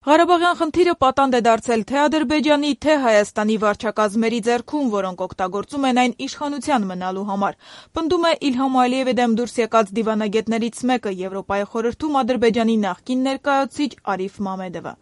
Ղարաբաղյան խնդիրը պատանդ է դարձել թե Ադրբեջանի, թե Հայաստանի վարչակազմերի ձեռքում, որոնք օգտագործում են այն իշխանության մնալու համար, պնդում է Իլհամ Ալիևի դեմ դուրս եկած դիվանագետներից մեկը Եվրոպայի խորհրդում Ադրբեջանի նախկին ներկայացուցիչ Արիֆ Մամեդովը։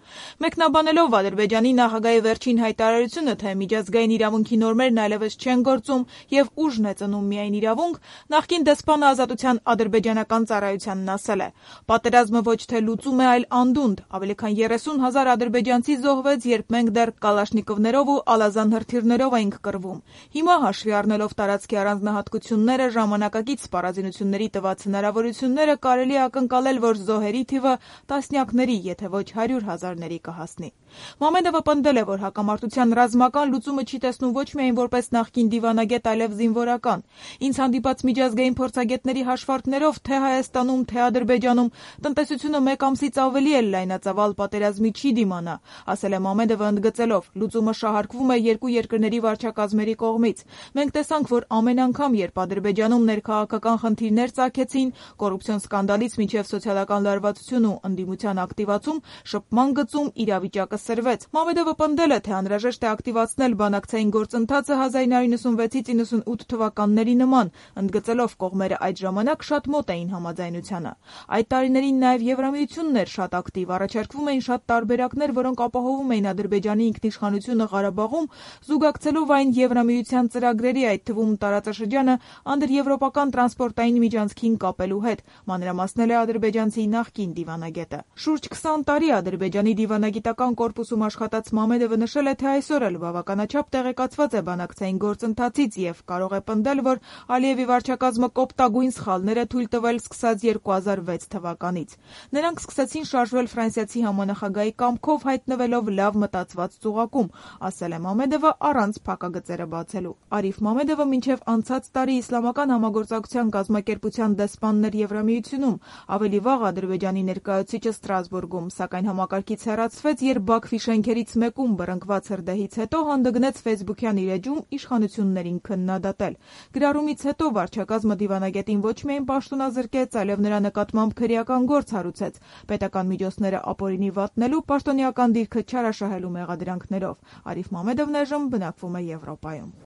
Մեկնաբանելով Ադրբեջանի նախագահի վերջին հայտարարությունը, թե միջազգային իրավունքի նորմերն այլևս չեն գործում եւ ուժն է ծնում միայն իրավունք, նախկին դեսպանը Ազատության ադրբեջանական ծառայությանն ասել է. «Պատերազմը ոչ թե լուծում է, այլ անդունդ, ավելի քան 30,000 ադրբեջանցի զոհվեց, երբ մենք դեռ կալաշնիկովներով ու ալազան հրթիռներով էինք կռվում։ Հիմա, հաշվի առնելով տարածքի առանձնահատկությունները, ժամանակակից սպառազինությունների տված հնարավորությունները, կարելի է ակնկալել, որ զոհերի թիվը տասնյակների, եթե ոչ 100,000-ների կհասնի»։ Մամեդովը պնդել է, որ հակամարտության ռազմական լուծումը չի տեսնում ոչ միայն որպես նախկին դիվանագետ, այլև զինվորական։ «Ինձ հանդիպած միջազգային փորձագետների հաշվարկներով թե Հայաստանում, թե Ադրբեջանում տնտեսությունը մեկ ամսից ավելի էլ լայնածավալ պատերազմի չի դիմանա», ասել է Մամեդովը, ընդգծելով. «Լուծումը շահարկվում է երկու երկրների վարչակազմերի կողմից։ Մենք տեսանք, որ ամեն անգամ, երբ Ադրբեջանում ներքաղաքական խնդիրներ ծագեցին, կոռուպցիոն սկանդալից մինչև սոցիալական լարվածություն ու ընդդիմության ակտիվացում, շփման գծում իրավիճակը սրվեց»։ Մամեդովը պնդել է, թե անհրաժեշտ է ակտիվացնել բանակցային գործընթացը 1996-98 թվականների նման, ընդգծելով կողմերը այդ ժամանակ շատ մոտ էին համաձայնությանը։ Այդ տարիներին նաև Եվրամիությունն էր շատ ակտիվ, առաջարկվում էին շատ տարբերակներ, որոնք ապահովում էին Ադրբեջանի ինքնիշխանությունը Ղարաբաղում, զուգակցելով այն Եվրամիության ծրագրերի, այդ թվում տարածաշրջանը անդրեվրոպական տրանսպորտային միջանցքին կապելու հետ, մանրամասնել է ադրբեջանցի նախկին դիվանագետը։ Շուրջ 20 տարի Ադրբեջանի դիվանագիտական կորպուսում աշխատած Մամեդովը նշել է, թե այսօր էլ բավականաչափ տեղեկացված է բանակցային գործընթացից եւ կարող է պնդել, որ Ալիևի վարչակազմը կոպտագույն սխալներ է թույլ տվել սկսած 2006 թվականից։ Նրանք սկսեցին շարժվել ֆրանսիացի համանախագահի կամքով, հայտնվելով լավ մտածված ծուղակում, ասել է Մամեդովը առանց փակագծերը բացելու։ Արիֆ Մամեդովը մինչև անցած տարի Իսլամական համագործակցության կազմակերպության դեսպանն էր Եվրամիությունում, ավելի վաղ Ադրբեջանի ներկայացուցիչը Ստրասբուրգում, սակայն համակարգից հեռացվեց, երբ Բաքվի շենքերից մեկում բռնկված հրդեհից հետո հանդգնեց ֆեյսբուքյան իր էջում իշխանություններին քննադատել։ Գրառումից հետո վարչակազմը դիվանագետին ոչ միայն պաշտոնազրկեց, այլև նրա նկատմամբ քրեական գործ հարուցեց՝ պետական միջոցները ապօրինի վատնելու, պաշտոնեական դիրքը չարաշահելու մեղադրանքներով։ Արիֆ Մամեդովն այժմ բնակվում է Եվրոպայում։